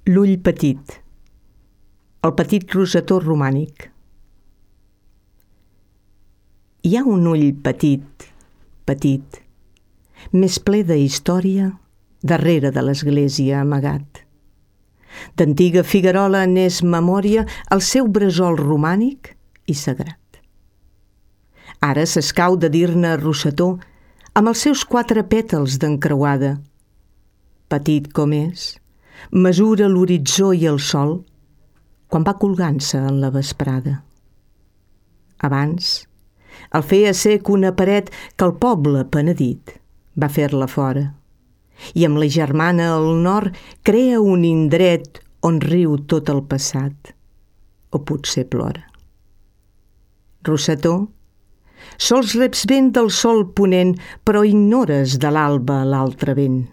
L'ull petit, el petit rosetó romànic. Hi ha un ull petit, petit, més ple de història, darrere de l'església amagat. D'antiga figuerola n'és memòria el seu bressol romànic i sagrat. Ara s'escau de dir-ne rosetó amb els seus 4 pètals d'encreuada. Petit com és, mesura l'horitzó i el sol quan va colgant-se en la vesprada. Abans, el feia sec una paret que el poble penedit va fer-la fora i amb la germana al nord crea un indret on riu tot el passat, o potser plora. Rosetó, sols reps vent del sol ponent, però ignores de l'alba l'altre vent.